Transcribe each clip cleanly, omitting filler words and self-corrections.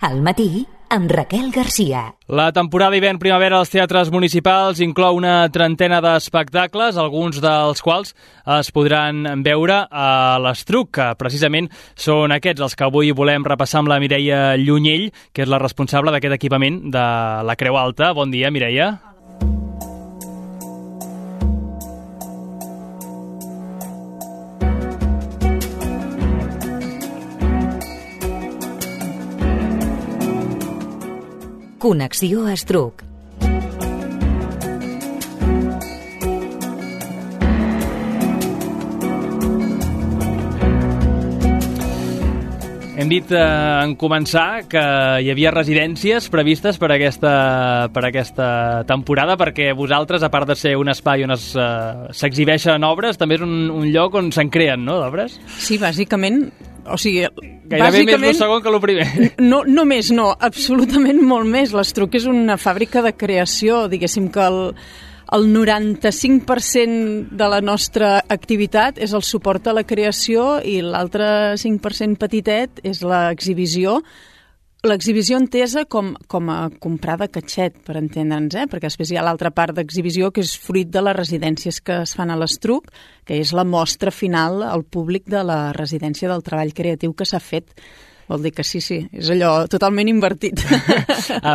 Al matí, amb Raquel Garcia. La temporada hivern-primavera als teatres municipals inclou una trentena d'espectacles, alguns dels quals es podran veure a l'Estruc, que precisament són aquests els que avui volem repassar amb la Mireia Llunyell, que és la responsable d'aquest equipament de la Creu Alta. Bon dia, Mireia. Connexió Estruc. Hem dit en començar que hi havia residències previstes per aquesta temporada, perquè vosaltres, a part de ser un espai on s'exhibeixen obres, també és un lloc on se'n creen, no, d'obres? Sí, bàsicament. O sigui, gairebé més el segon que el primer. No, absolutament molt més. L'Estruc és una fàbrica de creació, diguéssim que el 95% de la nostra activitat és el suport a la creació i l'altre 5% petitet és l'exhibició. L'exhibició entesa com a comprar de catxet, per entendre'ns, perquè després hi ha l'altra part d'exhibició que és fruit de les residències que es fan a l'Estruc, que és la mostra final al públic de la residència del treball creatiu que s'ha fet. Vol dir que sí, és allò totalment invertit.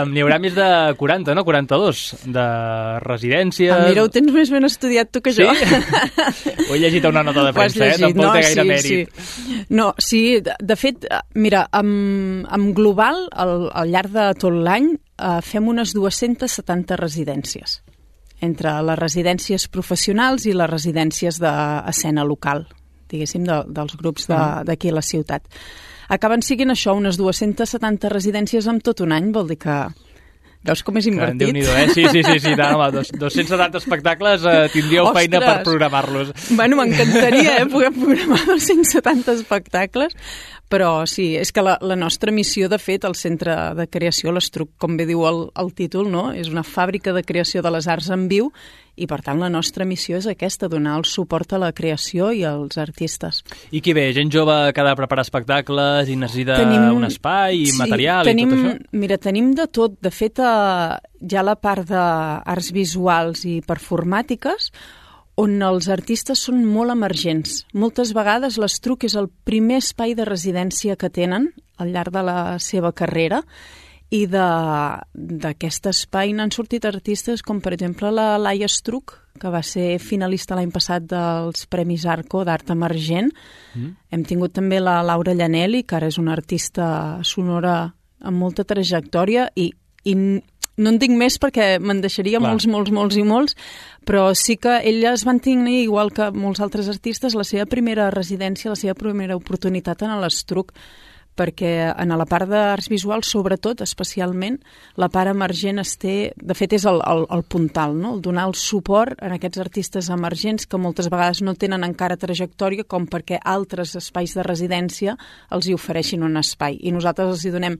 N'hi haurà més de 40, no? 42 de residències. Mira, ho tens més ben estudiat tu que jo. Sí? Ho he llegit a una nota de premsa, tampoc té gaire mèrit. Sí. No, sí, de fet, mira, en global, al llarg de tot l'any, fem unes 270 residències, entre les residències professionals i les residències d'escena local, diguéssim, dels grups d'aquí a la ciutat. Acaben siguent això, unes 270 residències en tot un any, vol dir que... Veus com és invertit? Déu-n'hi-do, Sí, home, 270 espectacles tindríeu feina per programar-los. Bueno, m'encantaria poder programar 270 espectacles, però sí, és que la nostra missió, de fet, al Centre de Creació, l'Estruc, com bé diu el títol, no? És una fàbrica de creació de les arts en viu i, per tant, la nostra missió és aquesta, donar el suport a la creació i als artistes. I qui ve? Gent jove que ha de preparar espectacles i necessita un espai i material i tot això? Mira, tenim de tot. De fet, hi ha la part d'arts visuals i performàtiques, on els artistes són molt emergents. Moltes vegades l'Estruc és el primer espai de residència que tenen al llarg de la seva carrera i d'aquest espai n'han sortit artistes com, per exemple, la Laia Estruc, que va ser finalista l'any passat dels Premis Arco d'Art Emergent. Hem tingut també la Laura Llanelli, que ara és una artista sonora amb molta trajectòria i no en dic més perquè me'n deixaria molts, però sí que elles van tenir, igual que molts altres artistes, la seva primera residència, la seva primera oportunitat en l'Estruc, perquè en la part d'arts visuals, sobretot, especialment, la part emergent de fet, és el puntal, no? El donar el suport a aquests artistes emergents que moltes vegades no tenen encara trajectòria com perquè altres espais de residència els hi ofereixin un espai. I nosaltres els hi donem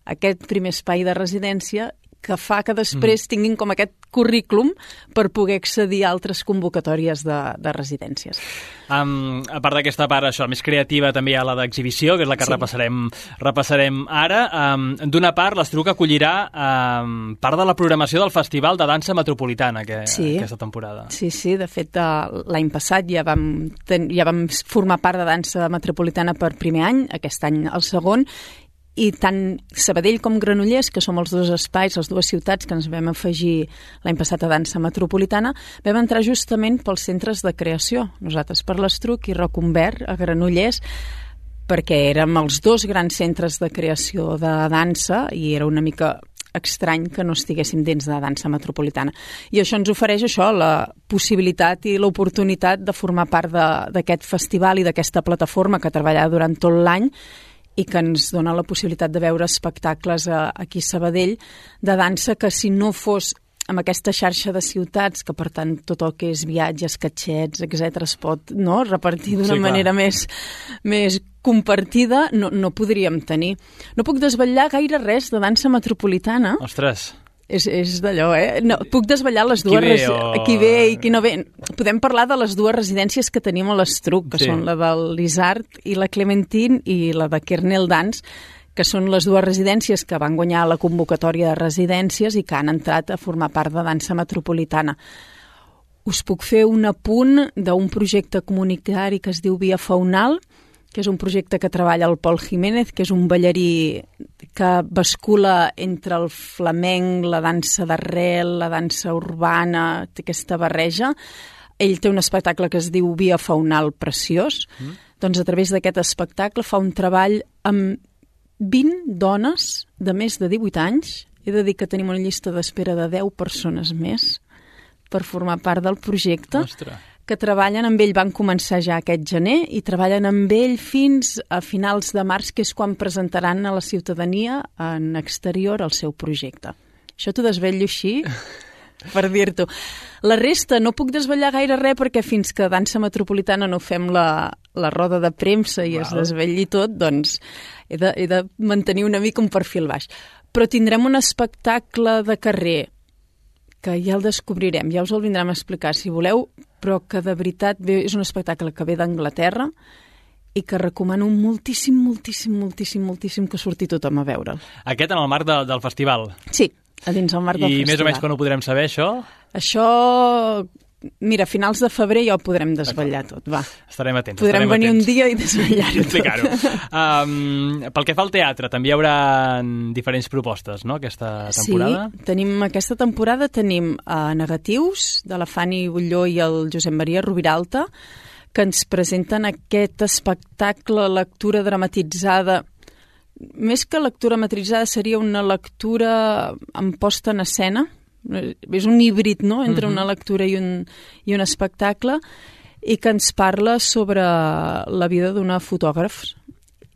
aquest primer espai de residència que fa que després tinguin com aquest currículum per poder accedir a altres convocatòries de residències. A part d'aquesta part més creativa, també hi ha la d'exhibició, que és la que repassarem ara. D'una part, l'Estruc acollirà part de la programació del Festival de Dansa Metropolitana aquesta temporada. Sí, de fet, l'any passat ja vam formar part de Dansa Metropolitana per primer any, aquest any el segon, i tant Sabadell com Granollers, que som els dos espais, les dues ciutats que ens vam afegir l'any passat a Dansa Metropolitana, vam entrar justament pels centres de creació. Nosaltres per l'Estruc i Reconvert a Granollers, perquè érem els dos grans centres de creació de dansa i era una mica estrany que no estiguéssim dins de Dansa Metropolitana. I això ens ofereix la possibilitat i l'oportunitat de formar part d'aquest festival i d'aquesta plataforma que treballarà durant tot l'any i que ens dona la possibilitat de veure espectacles aquí a Sabadell de dansa que, si no fos amb aquesta xarxa de ciutats, que per tant tot el que és viatges, catxets, etc., es pot repartir d'una manera més compartida, no podríem tenir. No puc desvetllar gaire res de Dansa Metropolitana. Ostres! És d'allò, No, puc desvetllar les dues... Qui ve i qui no ve. Podem parlar de les dues residències que tenim a l'Estruc, que són la del l'Isart i la Clementine i la de Kernel Dance, que són les dues residències que van guanyar la convocatòria de residències i que han entrat a formar part de Dansa Metropolitana. Us puc fer un apunt d'un projecte comunitari que es diu Via Faunal, que és un projecte que treballa el Pol Jiménez, que és un ballarí que bascula entre el flamenc, la dansa d'arrel, la dansa urbana, té aquesta barreja. Ell té un espectacle que es diu Via Faunal preciós. Doncs a través d'aquest espectacle fa un treball amb 20 dones de més de 18 anys. He de dir que tenim una llista d'espera de 10 persones més per formar part del projecte. Ostres. Que treballen amb ell, van començar ja aquest gener i treballen amb ell fins a finals de març, que és quan presentaran a la ciutadania en exterior el seu projecte. Això t'ho desvetllo així per dir-t'ho. La resta no puc desvetllar gaire res perquè fins que Dansa Metropolitana no fem la roda de premsa i es desvetlli tot, doncs he de mantenir una mica un perfil baix. Però tindrem un espectacle de carrer que ja el descobrirem, ja us el vindrem a explicar si voleu, però que de veritat és un espectacle que ve d'Anglaterra i que recomano moltíssim, moltíssim, moltíssim, moltíssim que surti tothom a veure'l. Aquest en el marc del festival. Sí, a dins el marc del festival. I més o menys quan ho podrem saber, això? Això, mira, a finals de febrer ja ho podrem desvetllar tot, va. Estarem atents. Podrem venir un dia i desvetllar-ho tot. Explicar-ho. Pel que fa al teatre, també hi haurà diferents propostes, no?, aquesta temporada? Sí, aquesta temporada tenim negatius de la Fanny Bulló i el Josep Maria Rubiralta, que ens presenten aquest espectacle, lectura dramatitzada. Més que lectura dramatitzada seria una lectura amb posta en escena. És un híbrid, no?, entre una lectura i un espectacle, i que ens parla sobre la vida d'una fotògraf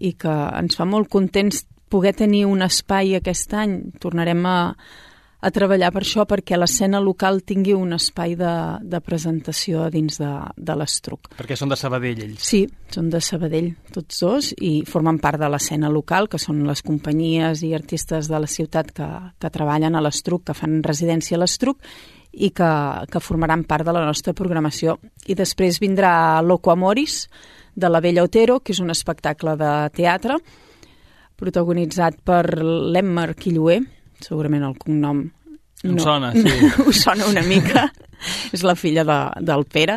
i que ens fa molt contents poder tenir un espai aquest any. Tornarem a treballar per això, perquè l'escena local tingui un espai de presentació dins de l'Estruc. Perquè són de Sabadell, ells. Sí, són de Sabadell, tots dos, i formen part de l'escena local, que són les companyies i artistes de la ciutat que treballen a l'Estruc, que fan residència a l'Estruc, i que formaran part de la nostra programació. I després vindrà Loco Amoris, de la Bella Otero, que és un espectacle de teatre, protagonitzat per l'Emma Quilloé, segurament el cognom em sona, sí. Us sona una mica. És la filla del Pere.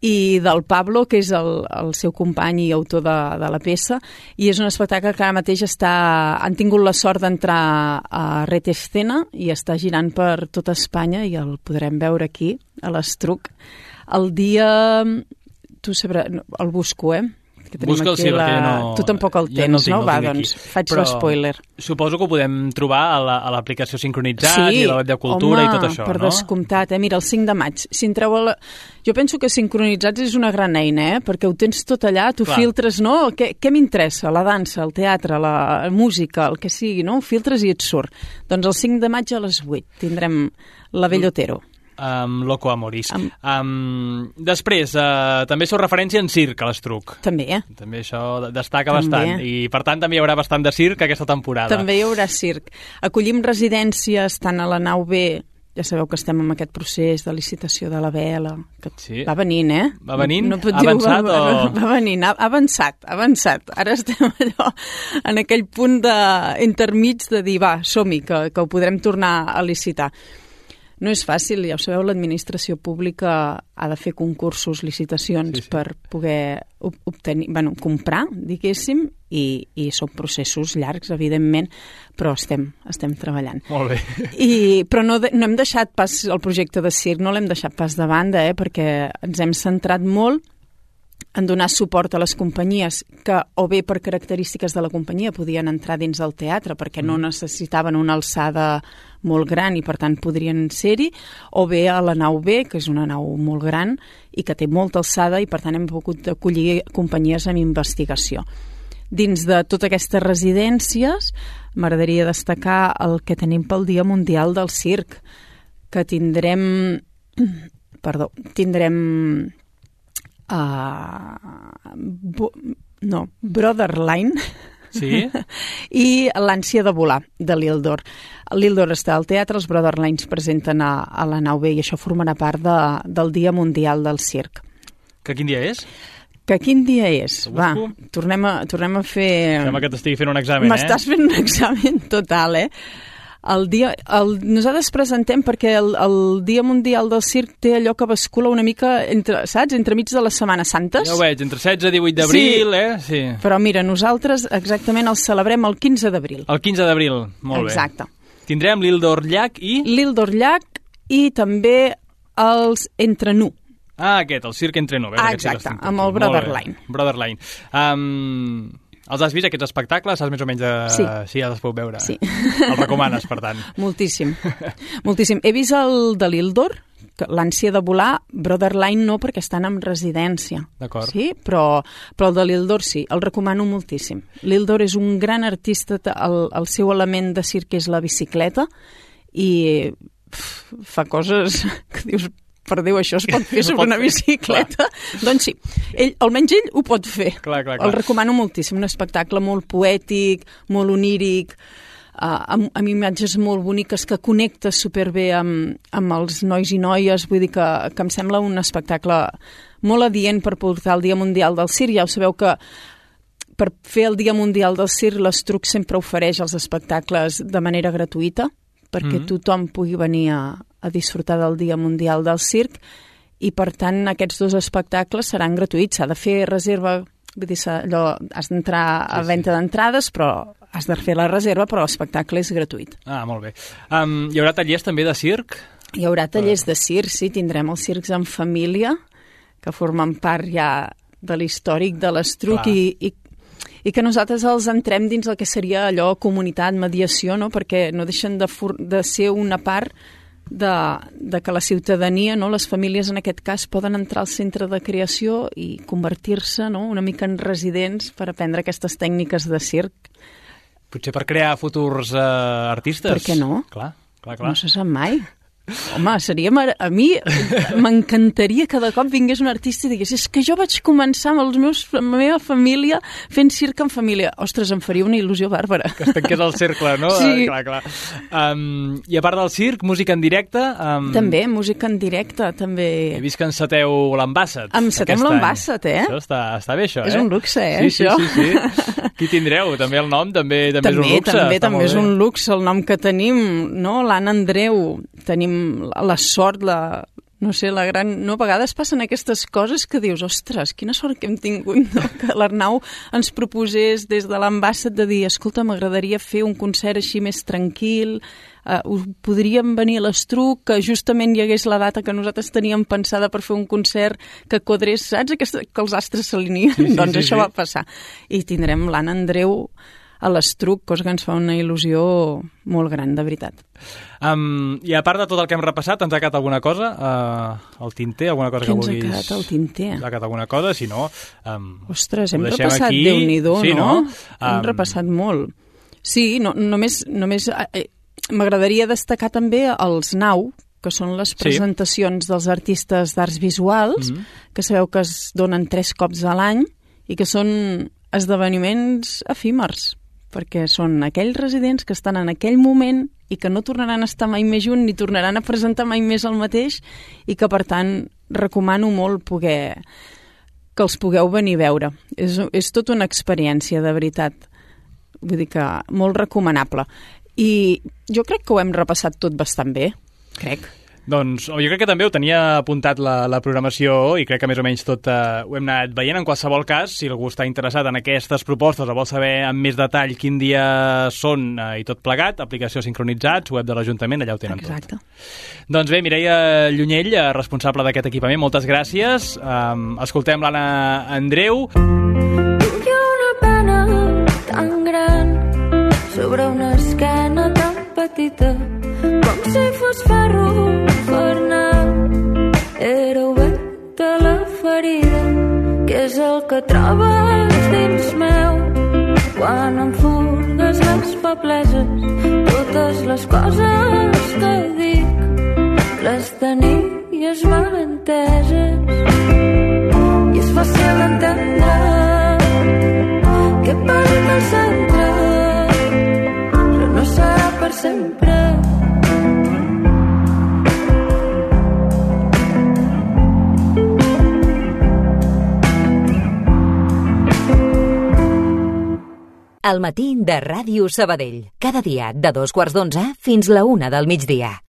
I del Pablo, que és el seu company i autor de la peça. I és un espectacle que ara mateix han tingut la sort d'entrar a Red Escena i està girant per tota Espanya i el podrem veure aquí, a l'Estruc. El dia... Tu sabràs... El busco, Busca'l, sí, perquè no... Tu tampoc el tens, no? Va, doncs, faig l'espoiler. Suposo que ho podem trobar a l'aplicació Sincronitzat i a la web de Cultura i tot això, no? Sí, per descomptat. Mira, el 5 de maig. Si entreu Jo penso que Sincronitzats és una gran eina, perquè ho tens tot allà, tu filtres, no? Què m'interessa? La dansa, el teatre, la música, el que sigui, no? Ho filtres i et surt. Doncs el 5 de maig a les 8 tindrem la Bella Otero. Loco Amoris. Després, també sou referència en circ a l'Estruc. També, També això destaca bastant. I, per tant, també hi haurà bastant de circ aquesta temporada. També hi haurà circ. Acollim residències tant a la nau B, ja sabeu que estem en aquest procés de licitació de la vela, que va venint, Va venint? No Ha avançat o...? Va venint, ha avançat. Ara estem allò, en aquell punt intermig de dir, va, som-hi, que ho podrem tornar a licitar. No és fàcil, ja ho sabeu, l'administració pública ha de fer concursos, licitacions per poder obtenir, comprar, diguéssim, i són processos llargs, evidentment, però estem treballant. Molt bé. Però no hem deixat pas el projecte de circ, no l'hem deixat pas de banda, perquè ens hem centrat molt en donar suport a les companyies que, o bé per característiques de la companyia, podien entrar dins del teatre perquè no necessitaven una alçada molt gran i per tant podrien ser-hi, o bé a la nau B, que és una nau molt gran i que té molta alçada i per tant hem pogut acollir companyies amb investigació. Dins de totes aquestes residències m'agradaria destacar el que tenim pel Dia Mundial del Circ, que tindrem Brotherline i l'ànsia de volar de l'Ildor. L'Ildor està al teatre, els Brotherlines presenten a la nau B i això formarà part del Dia Mundial del Circ. Que quin dia és? Que quin dia és? Va, tornem a fer... Sembla que t'estigui fent un examen, M'estàs fent un examen total, Nosaltres presentem perquè el Dia Mundial del Circ té allò que bascula una mica entremig de les Setmanes Santes. Ja ho veig, entre 16 i 18 d'abril, Sí. Però mira, nosaltres exactament el celebrem el 15 d'abril. El 15 d'abril, molt bé. Exacte. Tindrem l'Ildor Llach i... L'Ildor Llach i també els Entrenu. Aquest, el Circ Entrenu. Exacte, amb el Brotherline. Brotherline. Els has vist, aquests espectacles? Saps més o menys Sí. Sí, ja els puc veure. Sí. Els recomanes, per tant. Moltíssim. Moltíssim. He vist el de l'Ildor, l'ànsia de volar, Brotherline no, perquè estan en residència. D'acord. Sí, però el de l'Ildor sí, el recomano moltíssim. L'Ildor és un gran artista, el seu element de circ és la bicicleta i fa coses que dius... Per Déu, això es pot fer sobre una bicicleta? Doncs sí, almenys ell ho pot fer. Clar. El recomano moltíssim, un espectacle molt poètic, molt oníric, amb imatges molt boniques que connecta superbé amb els nois i noies, vull dir que em sembla un espectacle molt adient per portar el Dia Mundial del Circ. Ja ho sabeu que per fer el Dia Mundial del Circ l'Estruc sempre ofereix els espectacles de manera gratuïta, perquè tothom pugui venir a disfrutar del Dia Mundial del Circ i, per tant, aquests dos espectacles seran gratuïts. S'ha de fer reserva, vull dir, has d'entrar a venda d'entrades, però has de fer la reserva, però l'espectacle és gratuït. Molt bé. Hi haurà tallers també de circ? Hi haurà tallers de circ, sí. Tindrem els circs en família, que formen part ja de l'històric de l'Estruc i que nosaltres els entrem dins el que seria allò comunitat, mediació, no? Perquè no deixen de ser una part de que la ciutadania, no? Les famílies en aquest cas poden entrar al centre de creació i convertir-se, no? Una mica en residents per aprendre aquestes tècniques de circ. Potser per crear futurs artistes? Per què no? Clar. No se sap mai. Home, a mi m'encantaria que de cop vingués un artista i digués és que jo vaig començar amb la meva família fent circ en família. Ostres, em faria una il·lusió bàrbara. Que es tanqués el cercle, no? Sí. Clar. I a part del circ, música en directe? També, música en directe, també. He vist que enceteu l'Ambasset. Encetem l'Ambasset, Això està bé, això, És un luxe, sí, això. Sí. Qui tindreu? També el nom també és un luxe. També és un luxe el nom que tenim, no? L'Anna Andreu, tenim la sort, no sé, la gran... No, a vegades passen aquestes coses que dius, ostres, quina sort que hem tingut, no? Que l'Arnau ens proposés des de l'Ambasset de dir, escolta, m'agradaria fer un concert així més tranquil, podríem venir a l'Estruc, que justament hi hagués la data que nosaltres teníem pensada per fer un concert que quadrés, saps? Que els astres s'alineen. Sí, doncs això va passar. I tindrem l'Anna Andreu a l'Estruc, cosa que ens fa una il·lusió molt gran, de veritat. I a part de tot el que hem repassat, ens ha quedat alguna cosa al tinter? Alguna cosa que vulguis... Què ens ha quedat al tinter? Ens ha quedat alguna cosa? Si no... Ostres, hem repassat aquí. Déu-n'hi-do, sí, no? Hem repassat molt. Sí, només m'agradaria destacar també els NAU, que són les presentacions dels artistes d'arts visuals, que sabeu que es donen 3 cops a l'any i que són esdeveniments efímers, perquè són aquells residents que estan en aquell moment i que no tornaran a estar mai més junts ni tornaran a presentar mai més el mateix i que, per tant, recomano molt que els pugueu venir a veure. És tota una experiència, de veritat. Vull dir que molt recomanable. I jo crec que ho hem repassat tot bastant bé, crec. Doncs jo crec que també ho tenia apuntat la programació i crec que més o menys tot ho hem anat veient. En qualsevol cas, si algú està interessat en aquestes propostes o vol saber amb més detall quin dia són i tot plegat, aplicació Sincronitzats, web de l'Ajuntament, allà ho tenen tot. Doncs bé, Mireia Llunyell, responsable d'aquest equipament, moltes gràcies. Escoltem l'Anna Andreu. Hi ha una pena tan gran sobre una esquena tan petita com si fos ferro infernal. Era oberta la ferida, que és el que trobes dins meu quan em furgues les febleses. Totes les coses que dic les tenies mal enteses i és fàcil entendre que he perdut el centre, però no serà per sempre. al matí de Ràdio Sabadell. Cada dia de 2:15 fins la 1 del migdia.